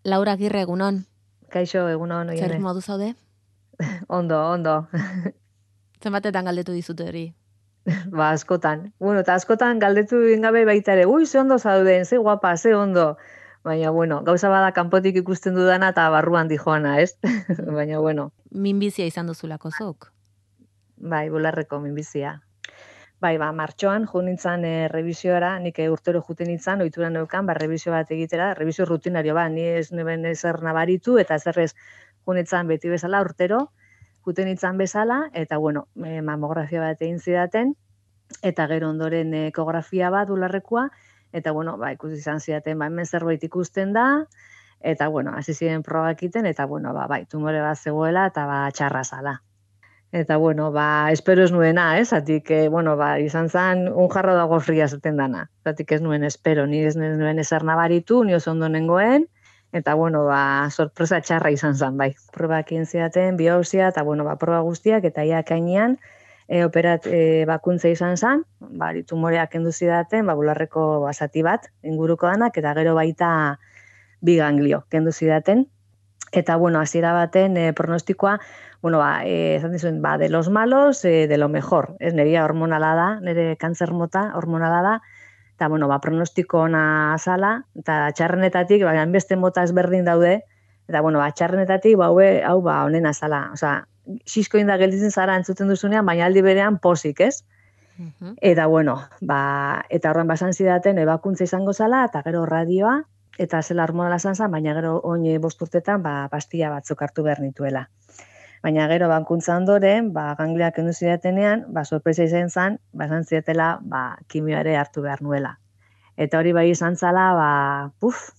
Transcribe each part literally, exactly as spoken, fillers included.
Laura Agirre, egunon. Kaixo, egunon, oiene. Zer modu zaude? Ondo, ondo. Zenbatetan galdetu dizute hori? Ba, askotan. Bueno, eta askotan galdetu gabe baita ere, ui, ze ondo zauden, ze guapa, ze ondo. Baina, bueno, gauza bada kanpotik ikusten dudana eta barruan dijoana, ez? Baina, bueno. Minbizia izan duzulako zuk? Bai, bularreko minbizia. Bai, ba, martxoan, jo nintzen e, revisioara, nik e, urtero juten nintzen, ohitura neukan, ba, revisio bat egitera, revisio rutinario, ba, ni ez neben ezer nabaritu, eta zerrez jo nintzen beti bezala urtero, juten nintzen bezala, eta, bueno, e, mamografia bat egin zidaten, eta gero ondoren ekografia bat ularrekoa, eta, bueno, ba, ikusi izan zidaten, ba, hemen zerbait ikusten da, eta, bueno, hasi ziren probak egiten, eta, bueno, ba, bai, tumore bat zegoela, eta, ba, txarra zala. Eta, bueno, ba, espero ez nuena, ez? Zatik, eh, bueno, ba, izan zen un jarro dago fria zaten dana. Zatik ez nuen espero, ni ez nuen ezer nabaritu, ni oso ondo nengoen, eta, bueno, ba, sorpresa txarra izan zen, bai. Probak egin zidaten, biopsia, eta, bueno, ba, proba guztiak, eta ia kainean, e, operat e, bakuntza izan zen, ba, tumoreak kendu zidaten, ba, bularreko basati bat, inguruko danak, eta gero baita bi ganglio kendu zidaten. Eta, bueno, hasiera baten e, pronostikoa, bueno, ba, e, esan dizuen, ba, de los malos, e, de lo mejor. Ez, neria hormonala da, nire kantzer mota hormonala da, eta, bueno, ba, pronostiko ona azala, eta txarrenetatik, ba, beste mota ezberdin daude, eta, bueno, ba, txarrenetatik, ba, hau, hau ba, onen azala. Osa, xisko inda gelditzen zara entzuten duzunean, baina aldi berean posik, ez? Uh-huh. Eta, bueno, ba, eta horren basan zidaten, ebakuntza izango zala, eta gero radioa, eta zela hormonala zan zen, baina gero oin bost urtetan ba, pastilla batzuk hartu behar nituela. Baina gero bankuntza ondoren, ba, gangliak kendu zidatenean, ba, sorpresa izan zen, ba, esan zidatela, ba, kimioare hartu behar nuela. Eta hori bai izan zala, ba, puf,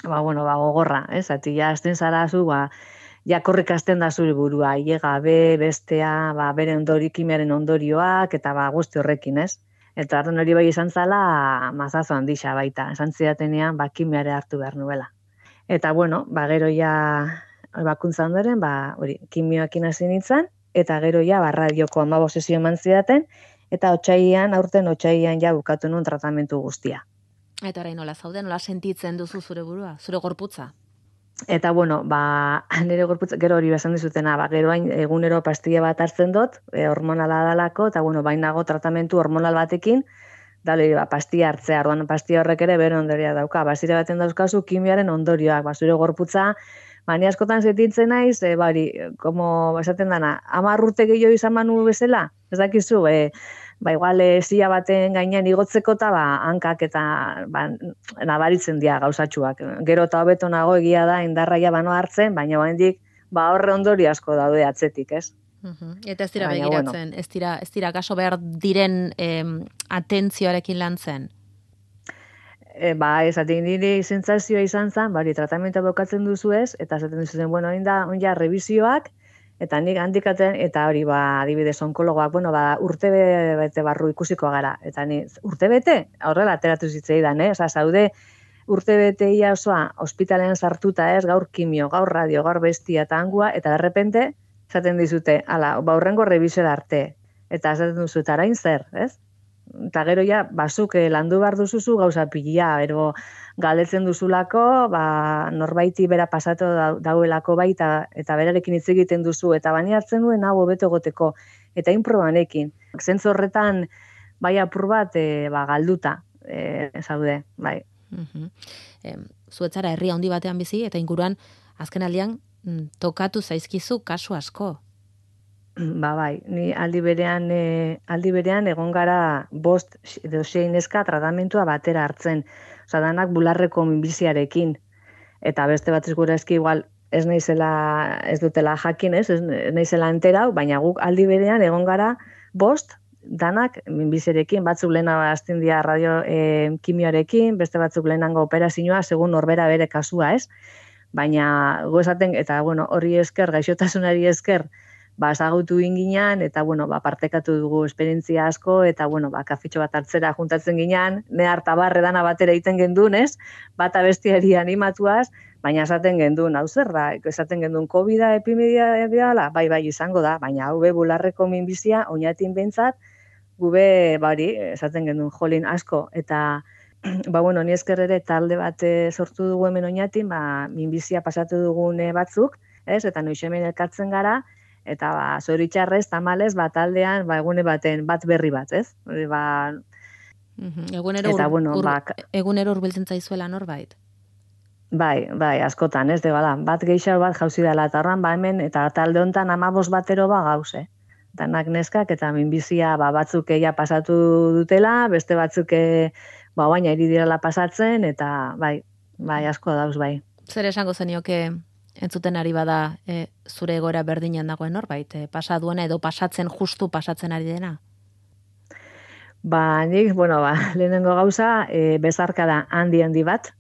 ba, bueno, ba, gogorra, ez? Zati, ja, azten zara zu, ba, ja, korrik azten da zure burua, iega, be, bestea, ba, bere ondori, kimiaren ondorioak, eta ba, guzti horrekin, ez? Eta arden hori bai izan zala, mazazo handixa baita, esan zidatenean, ba, kimiare hartu behar nuela. Eta, bueno, ba, gero ja, bakuntza ondoren, ba, hori, kimioakin hasi nintzen, eta gero ja, ba, radioko amabo sesio eman zidaten, eta otsailean, aurten otsailean ja bukatu nuen tratamentu guztia. Eta orain nola zaude, nola sentitzen duzu zure burua, zure gorputza? Eta, bueno, ba, nire gorputza, gero hori besan dizutena, ba, gero hain egunero pastilla bat hartzen dut, e, hormonala dalako, eta, bueno, bainago tratamentu hormonal batekin, dale, ba, pastilla hartzea, orduan pastilla horrek ere bere ondorioa dauka, basire baten dauzkazu kimioaren ondorioak, ba, zure gorputza, ba, ni askotan sentitzen naiz, e, bari, como esaten dana, hamar urte gehiago izan manu bezala, ez dakizu, e, ba, igual, zia baten gainean igotzeko eta, ba, hankak eta, ba, nabaritzen dira gauzatxuak. Gero eta hobeto nago egia da, indarraia bano hartzen, baina oraindik ba, horre ondori asko daude atzetik, ez? Uh-huh. Eta ez dira baina, begiratzen, bueno. ez dira, ez dira gaso behar diren em, atentzioarekin lan zen? E, ba, ez, atik niri sentsazioa izan zen, bari, tratamentua bokatzen duzu ez, eta zaten duzu zen, bueno, oin da, oin ja, revisioak, eta nik handikaten, eta hori, ba, adibidez, onkologoak, bueno, ba, urte bete barru ikusiko gara, eta ni, urte bete, horrela ateratu zitzaidan, eh? Osa, zaude, urte bete ia osoa, ospitalean sartuta ez, gaur kimio, gaur radio, gaur bestia eta angua, eta derrepente, zaten dizute, ala, ba, horrengo revisio arte, eta zaten duzu, eta arain zer, ez? Eta gero ja, basuk landu behar duzuzu gauza pilia, ero galdetzen duzulako, ba, norbaiti bera pasatu dauelako baita, eta berarekin hitz egiten duzu, eta bani hartzen duen hau hobeto egoteko, eta inprobanekin. Zentzu horretan, bai apur bat, e, ba, galduta, e, zaude, bai. Uh-huh. E, Zuetzara herri handi batean bizi, eta inguruan, azken aldian, tokatu zaizkizu kasu asko. Ba, bai, ni aldi berean, e, aldi berean egon gara bost edo sei neska tratamentua batera hartzen. Osa, danak bularreko minbiziarekin. Eta beste bat gure eski igual ez naizela, ez dutela jakin, ez, ez naizela enterau, baina guk aldi berean egon gara bost danak minbiziarekin, batzuk lehena azten dira radio e, kimioarekin, beste batzuk lehenango operazioa, segun norbera bere kasua, ez? Baina gozaten, eta bueno, hori esker, gaixotasunari esker, ba, ezagutu inginan, eta, bueno, ba, partekatu dugu esperientzia asko, eta, bueno, ba, kafitxo bat hartzera juntatzen ginean, ne harta barre dana batera egiten gendun, ez? Bata bestiari animatuaz, baina esaten gendun, hau zer da, esaten gendun, COVID-a epimedia dela, bai, bai, izango da, baina hau be bularreko minbizia, oinatin behintzat, gube, bari, esaten gendun, jolin asko, eta ba, bueno, ni esker ere talde bat eh, sortu dugu hemen oinatin, ba, minbizia pasatu dugune batzuk, ez? Eta noiz hemen elkartzen gara, eta ba, zoritxarrez, tamalez, ba, taldean, ba, egune baten, bat berri bat, ez? Hori, ba, Mhm. Egunero eta, ur, bueno, ur, ba, ka- egunero hurbiltzen zaizuela norbait. bai, bai, askotan, ez, de, bada, bat gehiago bat jauzi dela, eta horren, ba, hemen, eta talde hontan amabos batero ba gauz, eh? Danak neskak, eta minbizia, ba, batzuk eia pasatu dutela, beste batzuk, eh, ba, baina iri direla pasatzen, eta, bai, bai, asko dauz, bai. Zer esango zenioke entzuten ari bada e, zure egoera berdinean dagoen norbait, e, pasa duena edo pasatzen justu pasatzen ari dena? Ba, nik, bueno, ba, lehenengo gauza, e, bezarka da handi handi bat,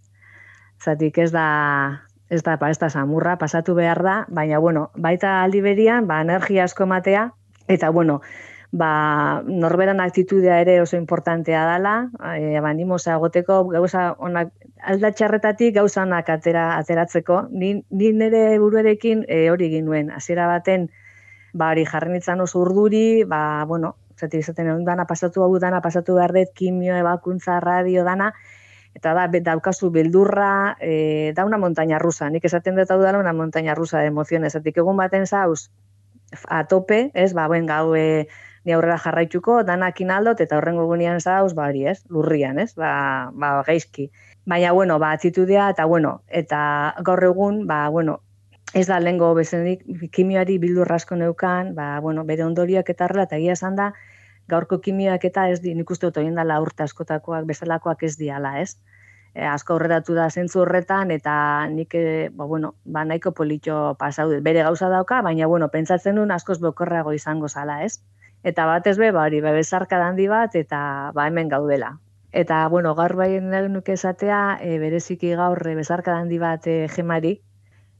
zatik ez da, ez da, ba, ez da samurra, pasatu behar da, baina, bueno, baita aldi berian, ba, energia asko matea, eta, bueno, ba, norberan aktitudea ere oso importantea dela, e, ba, animosa egoteko, gauza onak, aldatxarretatik gauza onak atera, ateratzeko, ni, ni nire buruarekin e, hori egin nuen, hasiera baten, ba, hori jarri nintzen oso urduri, ba, bueno, zatik izaten egun dana pasatu hau dana, pasatu behar dut, kimio, ebakuntza, radio, dana, eta da, be- daukazu beldurra, e, da una montaña rusa, nik esaten dut hau dala una montaña rusa de emociones, zatik egun baten zauz, a tope, ez, ba, buen gau, e, ni aurrera jarraituko, danakin aldot, eta horrengo gunean zauz, ba, hori, ez, lurrian, ez, ba, ba, gaizki. Baina, bueno, ba, atitudea, eta, bueno, eta gaur egun, ba, bueno, ez da lehengo bezenik, kimioari bildur asko neukan, ba, bueno, bere ondorioak eta horrela, eta egia esan da, gaurko kimioak eta ez di, nik uste dut oien dala urte askotakoak, bezalakoak ez diala, ez? E, asko aurreratu da zentzu horretan, eta nik, e, ba, bueno, ba, nahiko politxo pasau dut. Bere gauza dauka, baina, bueno, pentsatzen duen askoz bekorrago izango zala, ez? Eta batez be, ba, hori, ba, bezarka handi bat, eta ba, hemen gaudela. Eta, bueno, gaur bai nahi nuke esatea, e, bereziki gaur e, bezarka handi bat e, gemari,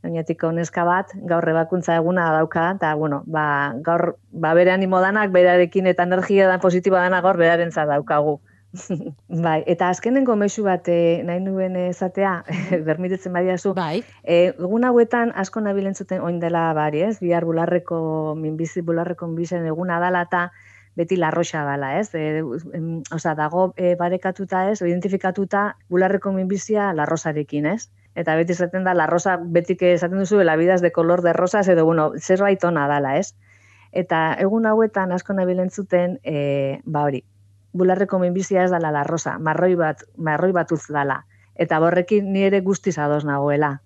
oinatiko neska bat, gaur ebakuntza eguna dauka, eta, bueno, ba, gaur, ba, bere animo danak, berarekin eta energia da positiboa dana gaur berarentza daukagu. Bai, eta azkenengo mexu bat eh, nahi nuen esatea, bermitetzen badiazu, Bai. eh, egun hauetan asko nabilentzuten oin dela bari, ez? Bihar bularreko, minbizi bularreko minbizen eguna dala eta beti larroxa dala, ez? E, em, Osa, dago e, barekatuta, ez? Identifikatuta bularreko minbizia larrosarekin, ez? Eta beti esaten da, larrosa, betik esaten duzu, la vida es de color de rosas, edo, bueno, zerbait ona dala, ez? Eta egun hauetan asko nabilentzuten, e, ba hori, bularreko minbizia ez dala larrosa, marroi bat, marroi batuz dala. Eta borrekin ni ere guztiz ados nagoela.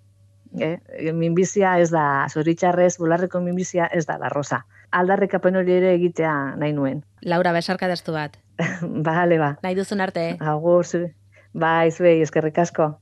Eh? Minbizia ez da, zoritxarrez, bularreko minbizia ez da larrosa. Aldarrikapen hori ere egitea nahi nuen. Laura, besarka dastu bat. Bale, ba. Nahi duzun arte. Agur, zu. Bai, zuei, eskerrik asko.